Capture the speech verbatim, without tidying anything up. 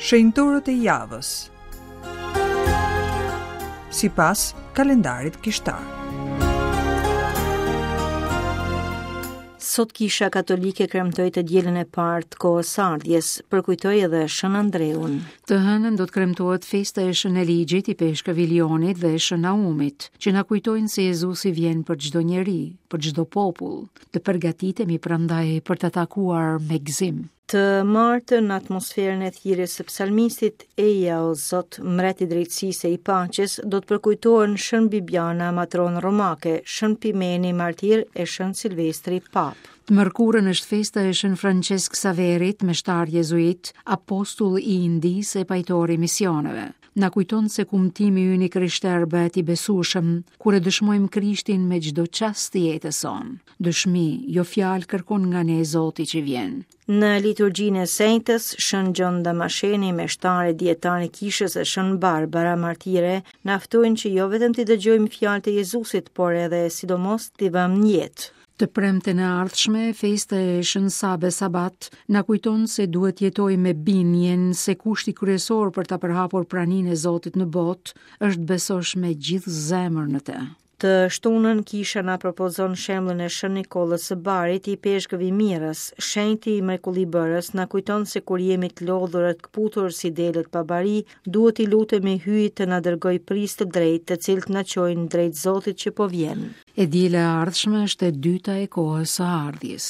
Shenjtorët e javës. Sipas kalendarit kishtar. Sot Kisha Katolike kremtoi të dielën e parë të kohës së ardhjes, përkujtoi edhe Shën Andreun. Të hënën do të kremtohet festa e Shën Eligjit, i Peshkëv Ilionit dhe e Shën Naumit, që na kujtojnë se Jezusi vjen për çdo njeri, për çdo popull. Të përgatitemi prandaj për ta takuar me gëzim. Të martën në atmosferën e thirrjes së psalmistit Eja o Zot, mbret i drejtësisë e i paqes, do të përkujtohen Shën Bibiana, matron romake, Shën Pimeni, martir e Shën Silvestri, pap. Të mërkurën është festa e Shën Francesc Saverit, meshtar jezuit, apostull i Indisë e pajtor i misioneve. Na kujton se kumtimi ynë i krishterë bëhet i besueshëm kur e dëshmojmë Krishtin me çdo çast të jetës sonë. Dëshmi, jo fjalë kërkon nga ne Zoti që vjen. Në liturgjinë e Sejtës, Shën Gjon Damasheni, meshtar e dietar i kishës e Shën Barbara, martire, na ftojnë që jo vetëm t'i dëgjojmë fjalët e Jezusit, por edhe sidomos t'i vëmë në jetë. Të premten e ardhshme, festa e Shën Sabe Sabat na kujton se duhet jetojmë me bindjen se kushti kryesor për ta përhapur praninë e Zotit në botë është besosh me gjithë zemër në të. Të shtunën kisha na propozon shembullin e Shën Nikollës së Barit, i peshkëv i Mirës. Shenjti i mrekullibërës na kujton se kur jemi të lodhur e të kputur si delet pa bari, duhet i lutemi Hyjit të na dërgoj prijës të drejtë, të cilët na çojnë drejt Zotit që po vjen. E diela e ardhshme është e dyta e kohës së ardhjes.